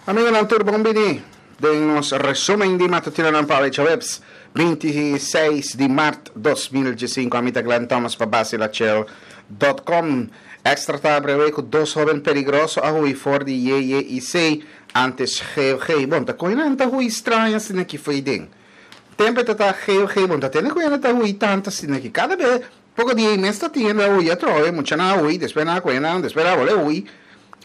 Amigonan tur bon bini den nos resumen di matutinonan pa awe djaweps 26 di mart 2015. Ami ta Glenn Thomas pa Basilachel dot com. Extra ta abre ku dos hoben peligroso a hui for di JJIC antes GOG. Bon, ta koe nan ta hui straño asina ki fo'i den. Tempe ta ta GOG, bon ta tende ku hende ta hui tanto asina ki. Kada be poko di ei mes ta tin hende a hui atrobe, muchanan a hui, despues nan a kohe nan, despues nan a bolbe hui.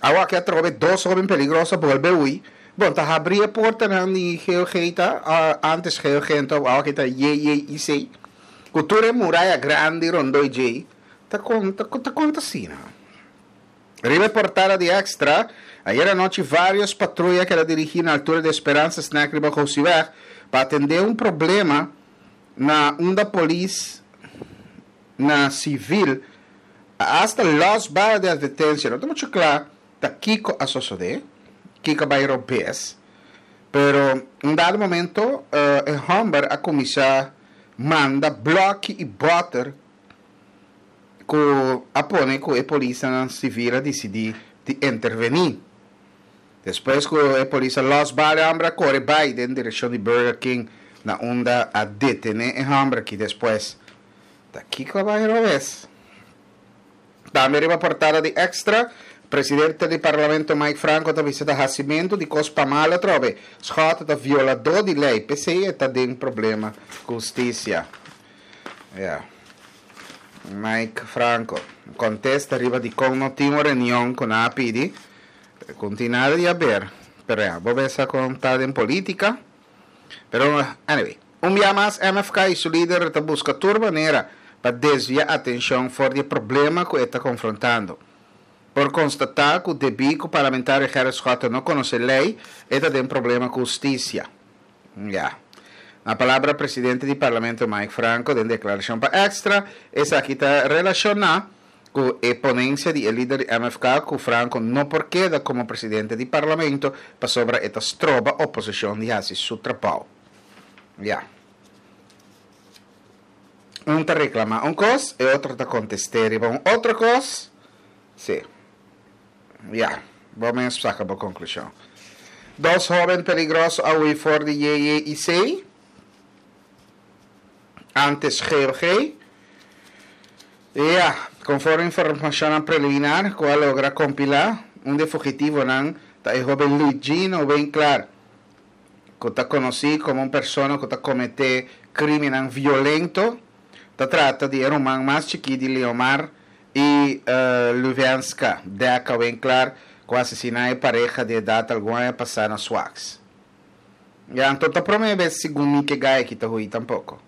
Awa aki atrobe dos hoben peligroso a bolbe hui. Bon, ta habri e portanan di GOG ta, antes GOG anto awa aki ta JJIC, ku tur e muraya grandi rondó djei, ta kon ta ta kon ta asina? Riba e portada di Extra, ayera anochi varios patruya keda dirigí na altura di Esperanza Snack riba Gosiweg pa atendé un problema na unda polis na sivil a hasta los bala di advertencia. No ta mucho kla ta kiko a sosode, kiko a bai robes, pero un dado momento e homber a kuminsá manda bloki i bòter ku a pone ku e polisnan sivil a disidí di intervení. Despues ku e polis a lòs bala e hòmber a kore bai den direkshon di Burger King na unda a detené e hòmber aki despues. Ta kiko a bai robes? Tambe riba portada di Extra, presidente di Parlamento Mike Franco ta bisa ta hasimentu di kos pa mal atrobe. Schotte ta violadó di lei, p'esei e ta den problema ku hustisia. Ya. Mike Franco kontesta riba dikon no tin un reunion ku nan a pidi. Ku no tin nada di haber. Pero ya, bo mester kon ta den politica. Pero anyway, un bia mas MFK y su lider ta busca tur manera pa desvia atencion for di e problema cu e ta confrontando. Por constata cu debi cu parlamentario Gerrit Schotte no conoce ley, e ta den problema cu husticia. Ya. Na palabra presidente di Parlamento Mike Franco den declaracion pa Extra, esaki ta relaciona cu e ponencia di e lider di MFK cu Franco no por keda como presidente di Parlamento pasobra e ta stroba oposicion di haci su trabao. Ya. Un ta reclama un cos, e otro ta conteste riba un otro cos. Si. Ya. Bo mes saca bo conclusion. Dos hoben peligroso a hui for di JJIC. Antes GOG. Ya, konforme informashonnan preliminar ku a logra kompilá, un di e fugitivonan ta e hóben Luigino Winklar, ku ta konosí komo un persona ku ta kometé krímennan violento. Ta trata di e ruman mas chikí di Leomar i Luvenska Deca Winklar, ku a asesiná e pareha di edat algun aña pasá na Swax. Ya, anto ta promé bes segun mi ke gai aki ta hui tampoko.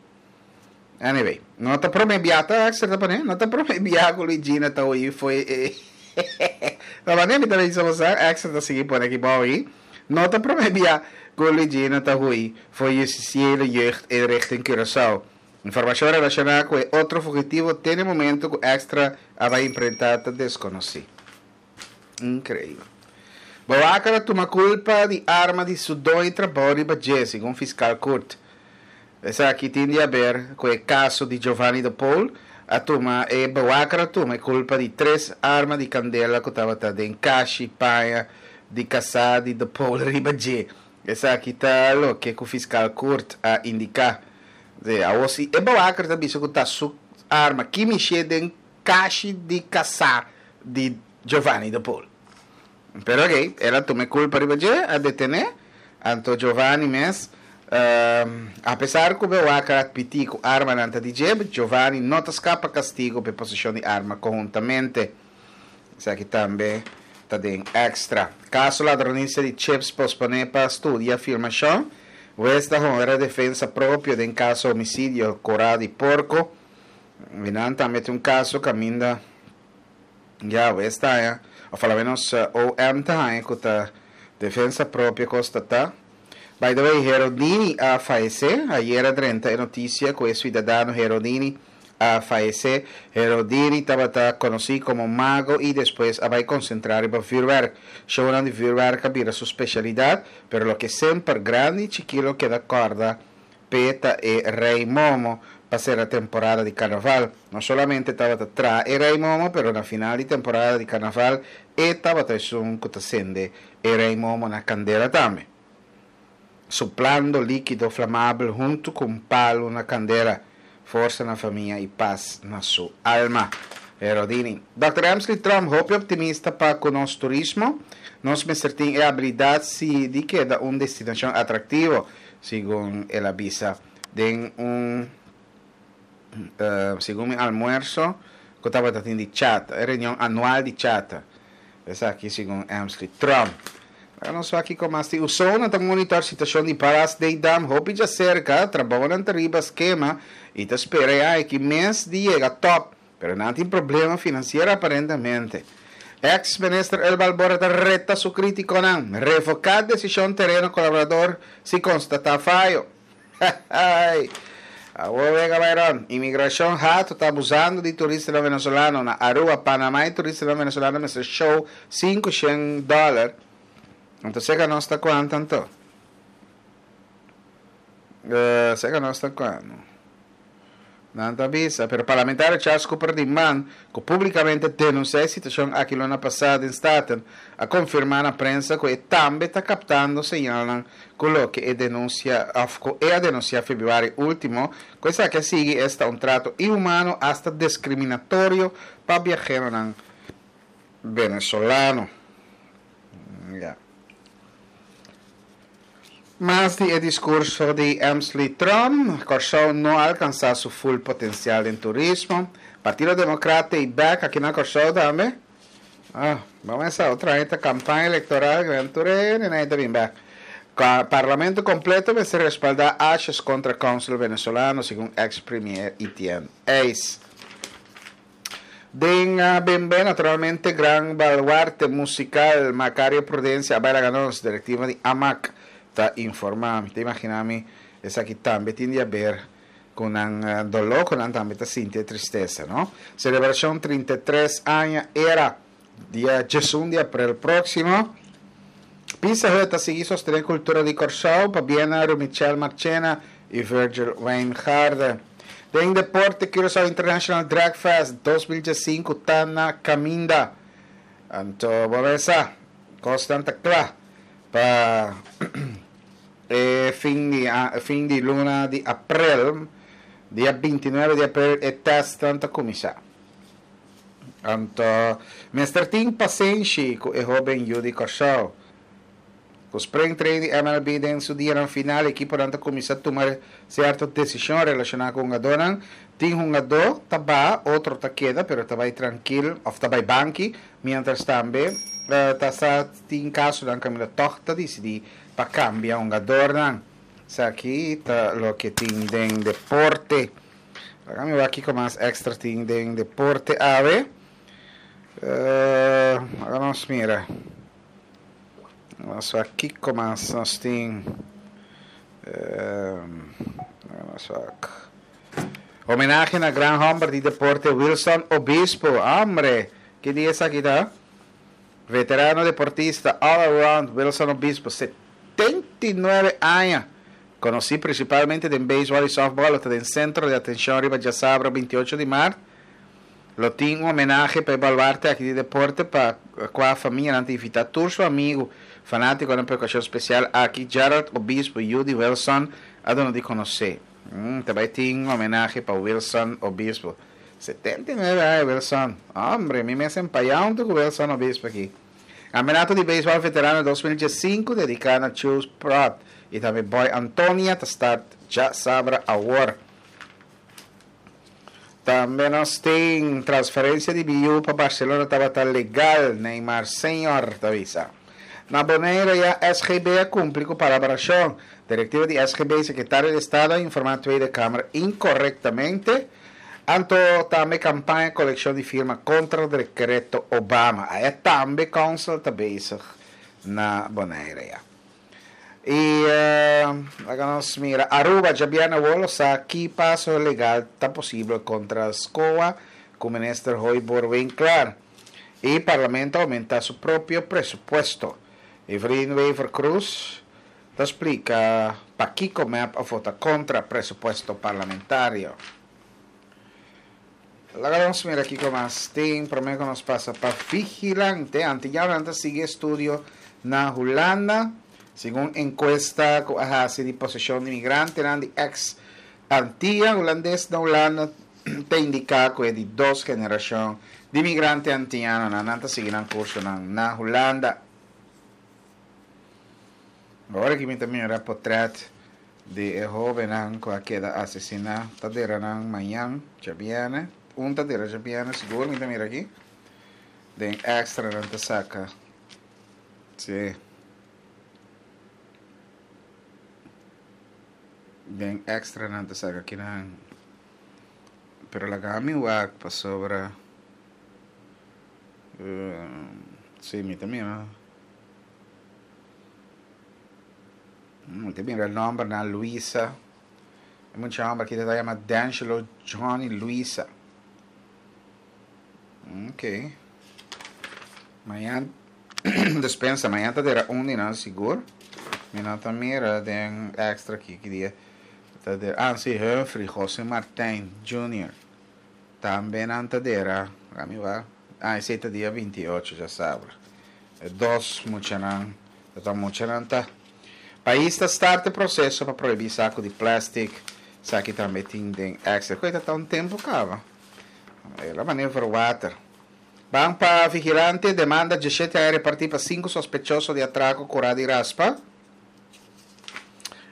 Anyway, no ta promé bia ta extra ta pone, no ta promé bia ku Luigina ta hui foi e Ta manera mi ta bisa boso extra ta sigui pone aki bou ahi. No ta promé bia ku Luigina ta hui foi Justitiële Jeugd Inrichting Curaçao. Informashon relashoná ku e otro fugitivo te na e momento ku extra a bai imprentá ta deskonosí. Increíbel. Boaker a tuma culpa di arma di su doño trabou riba dje, segun fiscal Kurt. Esaki tin di haber cu e caso di Giovanni de Paul. A tuma e bewaker a tuma e culpa di tres arma di candela cu tabata den kashi paña di casa di de Paul riba dje. Esaki ta loke cu fiscal Kurt a indica. Awor si e bewaker ta bisa cu ta su arma, ki mishi den kashi di kasá di Giovanni de Paul. Pero oke, el a tuma e kulpa riba dje, a detené. Anto Giovanni mes, apesar ku bewaker a atmití ku armanan ta di dje, Giovanni no ta skapa kastigu pa e poseshon di arma konhuntamente. Esaki tambe ta den Extra. Kaso ladronisia di chips posponé pa studia filmashon. Wes ta honra defensa propio den kaso homisidio Korá di Porko. I nan tambe tin un kaso kaminda ya wes ta haña, òf alomenos OM ta haña ku ta defensa propio kos ta ta. By the way, Herodini a fayesé. Ayer a drenta e notisia ku e suidadano Herodini a fayesé. Herodini tabata konosí komo mago i despues a bai konsentrá riba vürwèrk. Shownan di vürwèrk a bira su spesialidat, pero loke semper grandi i chikí lo keda kòrda P'e ta e Rei Momo. pa sera temporada di karnaval. No solamente tabata traha e Rei Momo, pero na final di temporada di karnaval e tabata esun ku ta sende e Rei Momo na kandela tambe, suplando líkido flamabel huntu ku un palu na kandela. Forsa na famia i pas na su alma. Herodini. Dòkter Emsley Tromp hopi optimista pa ku nos turismo. Nos mester tin e abilidat si di keda un destinashon atraktivo, segun el a bisa den un segun mi almuerso ku tabata tin di Chata, e reunion anual di Chata. Esaki segun Emsley Tromp. Laga nos wak kiko mas tin. Usona ta monitor situacion di Paras Dam hopi djacerca, trabounan ta riba skema y ta spera e aña aki mes di yega top, pero nan tin problema financiero aparentemente. Ex minister Elba Albora ta reta su criticonan, revoca decision tereno colaborador si constata fayo. Ay! Awor wega Byron, Imigracion hato ta abusando di turistanan venezolano na Aruba, Panama y turistanan venezolano mester show 500 dollar. Anto seca nos ta cuanto anto? Uh, seca nos ta cuanto? Nan ta bisa, pero parlamentario Charles Cooper di man, ku públikamente denunsiá e situashon aki luna pasá den Staten, a konfirmá na prensa ku e tambe ta kaptando señalnan ku loke e denunsia òf ku e a denunsiá febrüari último, ku esaki a sigui esta un trato inhumano asta deskriminatorio pa biaheronan venezolano. Ya. Mas di e diskurso di Emsley Trump, Kòrsou no a alkansá su ful potensial den turismo. Partido Demokrat ta ei bèk aki na Kòrsou tambe. Ah, bo mesa otro aña ta kampaña elektoral, gran tur hende nan ta bin bèk. Parlamento kompleto mester respaldá Asjes kontra kònsel venezolano, segun eks premier Etienne Eis. Den Bembe naturalmente gran baluarte musical Macario Prudencia a bai laga nos, directiva di AMAC ta informa. Mi ta imagina mi esaki tambe tin di haber cu nan dolor cu nan tambe ta sinti e tristesa no. Celebracion 33 aña era dia 11 di april proximo. Pizza Hut ta sigui sostene cultura di Corsou pabia na Rumichel Marchena y Virgil Wijngaarde. Den deporte Curaçao International Drag Fest 2015 ta na caminda. Anto bo mesa cosnan ta cla pa e fin di fin di luna di april, dia 29 di april e testnan ta cuminsa. Anto mester tin pasenshi ku e hoben yu di Kòrsou. Ku spring training di MLB den su dianan final ekiponan ta kuminsá tuma sierto desishon relashoná ku hungadónan. Tin hungadó ta baha, otro ta keda pero ta bai trankil òf ta bai banki, miéntras tambe ta sa tin kasonan kaminda tòg ta disidí pa kambia hungadornan. Esaki ta loke tin den deporte. Laga mi wak kiko mas extra tin den deporte awe. Uh, laga nos mira. Nos wak kiko mas nos tin. Uh, laga nos wak. Homenahe na gran homber di deporte Wilson Obispo. Hombre, ki dia esaki ta? Veterano deportista all around Wilson Obispo, 79 aña. Konosí prinsipalmente den beisbòl i sòftbòl, lo ta den sentro di atenshon riba djasabra 28 di mart. Lo tin un homenahe pa e baluarte aki di deporte pa kua famianan ta invitá tur su amigu, fanátikonan pa e okashon spesial aki, Gerald Obispo yu di Wilson a duna di konosé. Ta bai tin un homenahe pa Wilson Obispo. 79 aña Wilson. Hombre, mi mes empayá huntu ku Wilson Obispo aki. Campeonato di Beisbòl Veterano 2015 dediká na Chus Prot i tambe Boy Antonia ta start djasabra awor. Tambe nos tin transferencia di BU pa Barcelona tabata legal, Neymar Senior ta bisa. Na Bonaire ya SGB a cumpli cu palabracion. Directiva di SGB y Secretario di Estado a informa Tweede Kamer incorrectamente. Anto tambe campaña coleccion di firma contra decreto Obama. Aya tambe council ta bezig na Bonaire ya. Y laga nos mira Aruba djabièrnè awor lo sa ki paso legal ta posibel contra SCOA cu minister Hooyboer Winklaar. Y parlamento a aumenta su propio presupuesto. Evelyn Wever-Croes ta splica pakico mep a vota contra presupuesto parlamentario. Laga nos mira kiko mas tin prome ku nos pasa pa Vigilante. Antiyanonan ta sigui estudio na Hulanda. Segun enkuesta ku a hasi di poseshon di migrantenan di eks Antia Hulandes na Hulanda ta indiká ku e di dos generashon di migrante antiyanonan nan ta sigui nan kursonan na Hulanda. Ora ki mi ta mira potret di e hobennan ku a keda asesiná ta dera nan mañan djabièrnè, un ta dera djabièrnè sigur mi ta mira aki, den extra nan ta saka, si, den extra nan ta saka kinan, pero laga mi wak pasobra, si mi ta mira. Mi ta mira nombernan Luisa. E mucha homber aki ta yama D'Angelo Johnny Luisa. Ok. Mañan despensa, mañan ta dera un di nan sigur. Mi no ta mira den extra aki ki dia ta dera. Ah, si, Humphrey Jose Martijn Junior. Tambe nan ta dera, ami wak, ah esei ta dia 28 djasabra. E dos muchanan, ta ta muchanan ta. Pais ta start e proseso pa prohibí saku di plastic, esaki tambe tin den extra. Koe ta ta un tempu kaba. El a manera verwater. Ban pa vigilante, demanda 17 aña repartí pa sinku sospechoso di atrako kurá di raspa.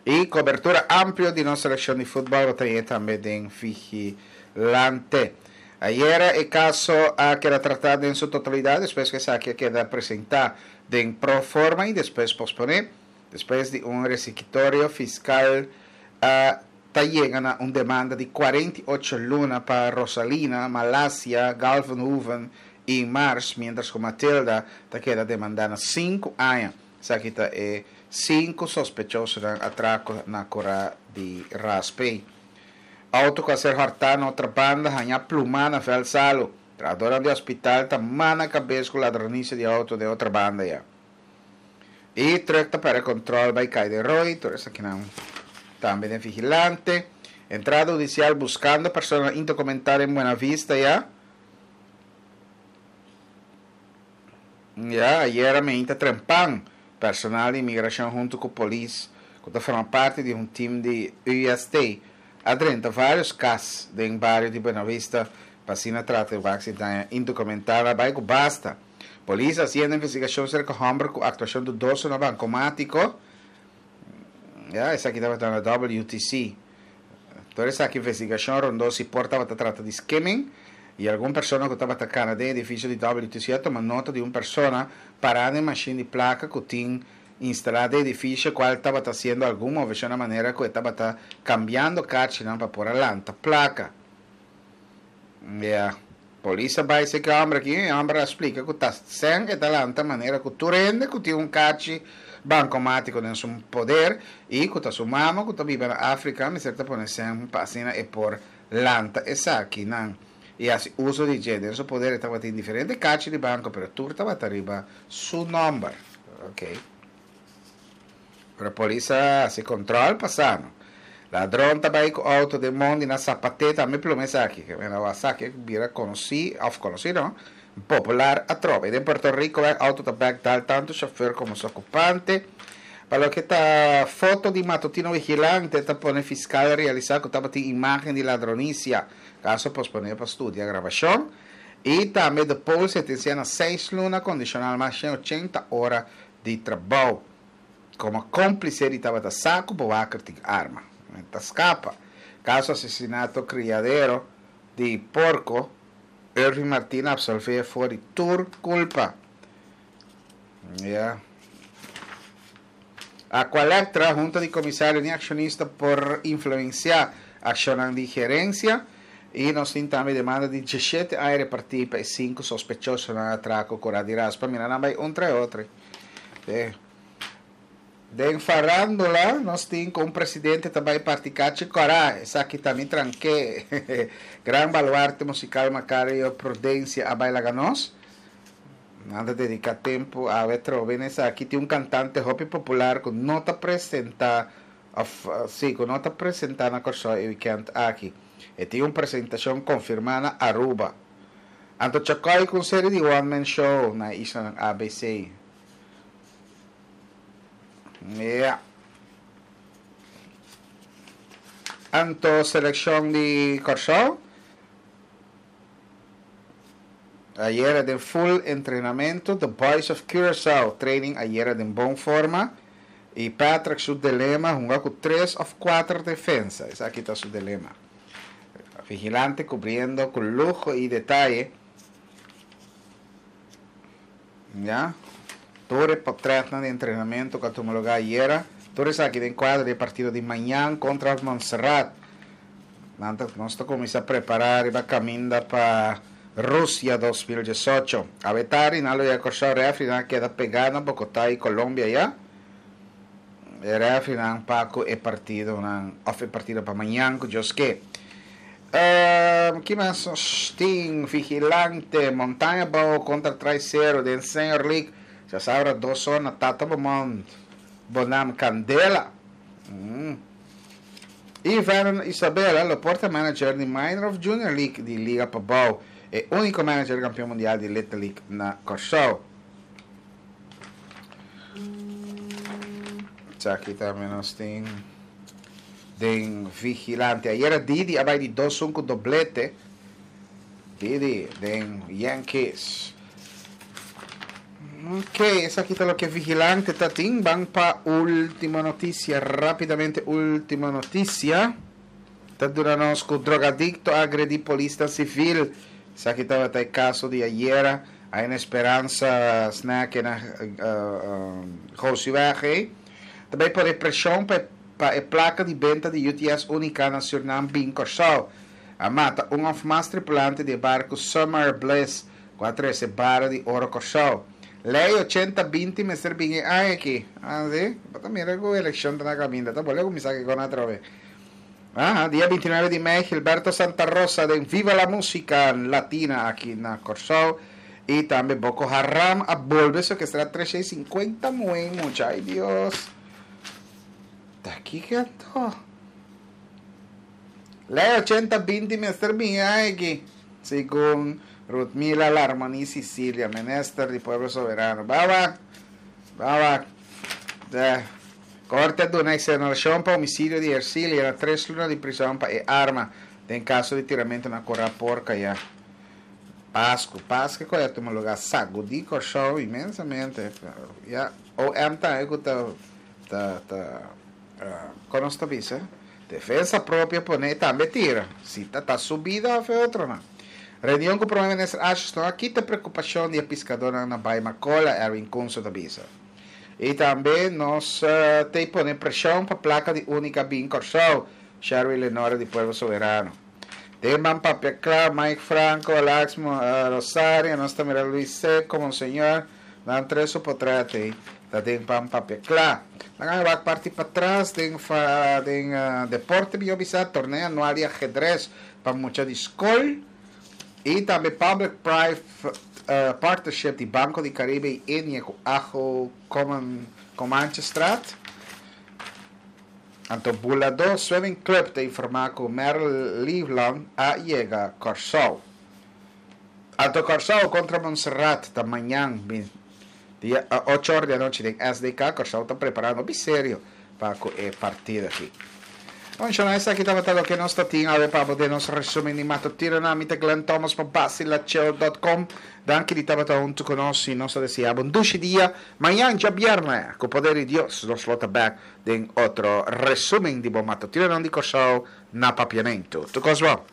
Y cobertura amplio di nos seleccion di futbol bo ta hañ'é tambe den Vigilante. Ayera e caso a keda trata den su totalidad despues cu esaki a keda presenta den pro forma y despues pospone. Despues di un resikitorio fiscal a ta yega na un demanda di 48 luna pa Rosalina, Malasia, Galvenhoeven y Mars mientras cu Matilda ta keda demanda na 5 aña. Esaki ta e sinku sospechosonan atrako na kura di Raspey. Auto ku a ser hòrtá na otra banda haña plumá na vèlt salu. Trahadónan di hospital ta mana kabes ku ladronisia di auto den otra banda ya. E trùk ta pèrdè kòntròl bai kai den roi, tur esakinan tambe den vigilante. Entrada hudisial buskando personanan indokumentá den Buena Vista ya. Ya, ayera meinta trempan, personal di imigrashon huntu ku polis ku ta forma parti di un tim di UST a drenta vários kas den bario di Buenavista pa asina trata di wak si daño indokumentá a bai ku basta. Polis a hasiendo investigashon serka hòmber ku aktuashon dudoso na bankomátiko. Ya, esaki tabata na WTC. Tur esaki investigashon rondó si por tabata trata di skimming i algun persona ku tabata kana den edifisio di WTC a tuma nota di un persona pará na e mashin di plaka ku tin instalá den edifisio kual tabata hasiendo algun moveshon na manera ku e tabata kambiando karchinan pa por a lanta plaka. Ya. Polis a bai seki e hòmber aki i e hòmber a splika ku ta sèn e ta lanta manera ku tur hende ku tin un karchi bankomátiko den su poder i ku ta su mama ku ta biba na Afrika mester ta pone sèn pa asina e por lanta esakinan i hasi uso di dje. Den su poder e tabatin diferente karchi di banko pero tur tabata riba su nòmber. Okey. Pero polis a hasi control pa sa no. Ladron ta bay cu auto den mondi na Zapate tambe pluma esaki. Ke mena wak esaki bira conoci of conoci no, popular atrobe. Den Puerto Rico wak auto ta bek dal tanto chofer como su ocupante. Pa loke ta foto di matutino vigilante ta pone fiscal realisa cu tabatin imagen di ladronicia. Caso pospone pa studia grabacion. Y tambe de Pool sentencia na seis luna condicional mas 180 ora di trabou. Komo kómplise di tabata sa ku Bowaker tin arma. E ta skapa. Kaso asesinato kriadero di porko, Irving Martina apsolvé for di tur kulpa. Ya. Aqualectra, Hunta di Komisario ni akshonista por influensiá akshonnan di gerensia. I nos tin tambe demanda di 17 aña repartí pa e sinku sospechosonan atrako kura di raspa. Mira nan bai un trae otro. Den farándula nos tin ku un presidente ta bai parti kachi kòrá. Esaki ta mi tranké. Gran baluarte musikal Macario Prudencia a bai laga nos. Nan ta dediká tempu awe trobe na esaki. Tin un kantante hopi popular ku no ta presentá. Of si, ku no ta presentá na Kòrsou e wikènt aki. E tin un presentashon konfirmá na Aruba. Anto Chakoy ku un seri di one man show na e islanan ABC. Ya. Anto selekshon di Kòrsou ayera den full entrenamentu. The Boys of Curaçao training ayera den bon forma. Y Patrick su dilema hunga cu tres of cuater defensa. Esaki ta su dilema. Vigilante cubriendo cu luho y detaye. Ya. Tur e potretnan di entrenamento cu a tuma lugar ayera. Tur esaki den cuadro di e partido di mañan contra Montserrat. Nan ta, nos ta cuminsa prepara riba caminda pa Rusia 2018. Awe tardi nan lo yega Kòrsou, refrinan a keda pegá na Bogotá i Colombia ya. E refrinan pa ku e partidonan òf e partido pa mañan ku Dios ke. Ehm, ki mas nos tin? Vigilante, Montaña Abou kontra Traisero den Senior League. Djasabra dos or na Tata Beaumont, Bonam Kandela. Mm. Y Vernon Isabella lo por ta manager di Minor of Junior League di Liga Pabou, e unico manager campeon mundial di Little League na Kòrsou. Esaki tambe nos tin den Vigilante. Ayera Didi a bai di dos un cu doblete. Didi den Yankees. Ok, esaki ta loke Vigilante ta tin. Ban pa ultimo noticia, rapidamente ultimo noticia. Ta duna nos cu drogadicto a agredi polisnan civil. Esaki tabata e caso di ayera a en Esperanza Snack na Gosiweg ey. Ta bay pone presion pa pa e placa di benta di UTS Unica na Surinam bin Corsou. A mata un of mas tripulante di e barco Summer Bliss Ku a trese bara di oro Kòrsou. Lei ochenta binti mester bin e aña aki. Ah, si? Bo ta mira ku elekshon ta na kaminda. Ta bolbe kuminsá kiko na atrobe. Aha, dia 29 di mei Gilberto Santa Rosa den Viva la Musica Latina aki na Kòrsou. I tambe Boko Haram a bolbe sekestrá 350 muhé i mucha. Ai Dios! Ta kiko anto? Lei ochenta binti mester bin e aña aki, segun Rutmila Larmonie Cicilia, minister di Pueblo Soberano. Ba wak, ba wak. De Korte a duna exoneracion pa homicidio di Ercilia na tres luna di prison pa e arma den caso di tiramento na Corra Porca ya. Pascu, Pascu cu a tuma lugar sagudi Corsou inmensamente. Ya, OM tambe cu ta, ta, ta, con nos ta bisa? Defensa propio pone e tambe tira, si ta ta su bida of e otronan. Reunion cu Prome Minister Asjes no a kita preocupacion di e piscadornan na Bai Macola, Erwin Kunso ta bisa. Y tambe nos ta pone presion pa placa di Unica bin Corsou, Sherwin Lenore di Pueblo Soberano. Den ban papia cla, Mike Franco, Alex Rosario, nos ta mira Luis Seco, Monseñor, Nan tres su potret ei ta den pan papia kla. Nan a wak parti patras den fa den deporte mi yo bisa torneo anual di ajedres pa mucha di skol y tambe public private partnership di Banco di Caribe y Ennia cu Ajo Coman Comanchestraat. Anto Buladó Swimming Club ta informa cu Merle Leeflang a yega Corsou. Anto Kòrsou kontra Montserrat ta mañan dia ocho or di anochi den SDK. Kòrsou ta prepará hopi serio pa ku e partido aki. Bon, esaki tabata loke nos ta tin awe pa bo den nos resumen di matutinonan. Mi ta Glenn Thomas pa Basilachel dot com. Danki di tabata huntu ku nos i nos ta deseá bo un dushi dia. Mañan djabièrnè, ku poder di Dios, nos lo ta bèk den otro resumen di bo matutinonan di Kòrsou na Papiamentu. Tur kos bon.